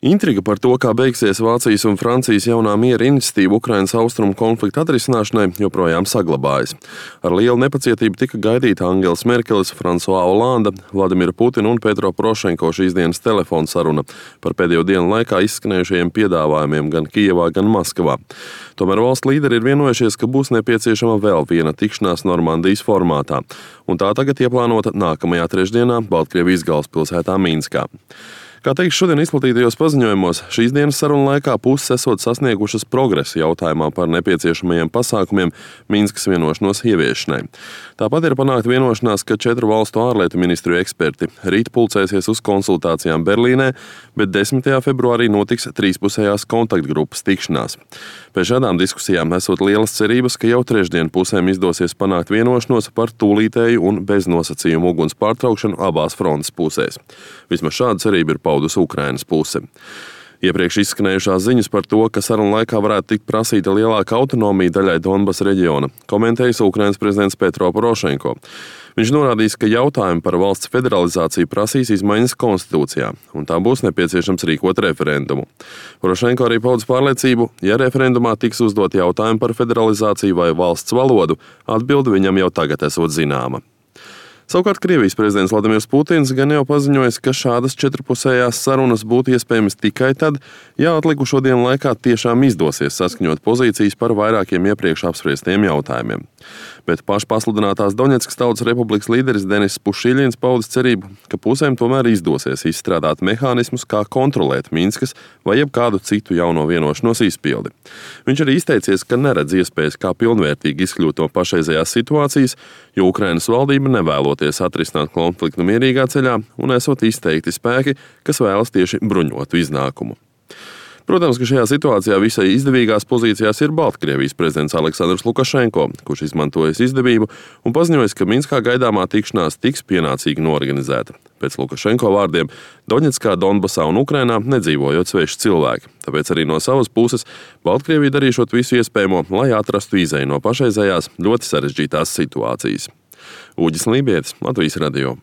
Intriga par to, kā beigsies Vācijas un Francijas jaunā miera iniciatīva Ukrainas austrumu konflikta atrisināšanai, joprojām saglabājas. Ar lielu nepacietību tika gaidīta Angels Merkeles, François Hollande, Vladimira Putina un Petro Porošenko šīs dienas telefona saruna par pēdējo dienu laikā izskanējušajiem piedāvājumiem gan Kijevā, gan Maskavā. Tomēr valstu līderi ir vienojušies, ka būs nepieciešama vēl viena tikšanās Normandijas formātā, un tā tagad ieplānota nākamajā trešdienā Baltkrievijas galvaspilsētā Minskā. Kā teikts šodien izplatītajos paziņojumos, šīs dienas sarunu laikā puses esot sasniegušas progresu jautājumā par nepieciešamajiem pasākumiem Minskas vienošanos ieviešanai. Tāpat ir panākta vienošanās, ka 4 valstu ārlietu ministriju eksperti rīt pulcēsies uz konsultācijām Berlīnē, bet 10. februārī notiks trīspusējās kontaktgrupas tikšanās. Pēc šādām diskusijām esot lielas cerības, ka jau trešdien pusēm izdosies panākt vienošanos par tūlītēju un beznosacījumu uguns pārtraukšanu abās frontes pusēs. Vismaz šāda cerība ir paudusi Ukrainas puse. Iepriekš izskanējušās ziņas par to, ka sarunu laikā varētu tikt prasīta lielāka autonomija daļai Donbasa reģiona, komentējis Ukrainas prezidents Petro Porošenko. Viņš norādījis, ka jautājumi par valsts federalizāciju prasīs izmaiņas konstitūcijā, un tā būs nepieciešams rīkot referendumu. Porošenko arī paudis pārliecību, ja referendumā tiks uzdot jautājumi par federalizāciju vai valsts valodu, atbilde viņam jau tagad esot zināma. Savukārt Krievijas prezidents Vladimirs Putins gan jau paziņojis, ka šādas četrpusējās sarunas būtu iespējamas tikai tad, ja atlikušo dienu laikā tiešām izdosies saskaņot pozīcijas par vairākiem iepriekš apspriestiem jautājumiem. Bet pašpasludinātās Doņetskas Tautas Republikas līderis Denis Pušiļins paudis cerību, ka pusēm tomēr izdosies izstrādāt mehānismus, kā kontrolēt Minskas vai jebkādu citu jauno vienošanos izpildi. Viņš arī izteicies, ka neredz iespējas, kā pilnvērtīgi izkļūt no pašreizējās situācijas, jo Ukrainas valdība nevēloties atrisināt konfliktu mierīgā ceļā un esot izteikti spēki, kas vēlas tieši bruņotu iznākumu. Protams, ka šajā situācijā visai izdevīgās pozīcijās ir Baltkrievijas prezidents Aleksandrs Lukašenko, kurš izmantojas izdevību un paziņojis, ka Minskā gaidāmā tikšanās tiks pienācīgi norganizēta. Pēc Lukašenko vārdiem, Doņetskā, Donbasā un Ukrainā nedzīvojot sveši cilvēki, tāpēc arī no savas puses Baltkrievija darīšot visu iespējamo, lai atrastu izeju no pašreizējās ļoti sarežģītās situācijas. Uģis Lībietis, Latvijas radio.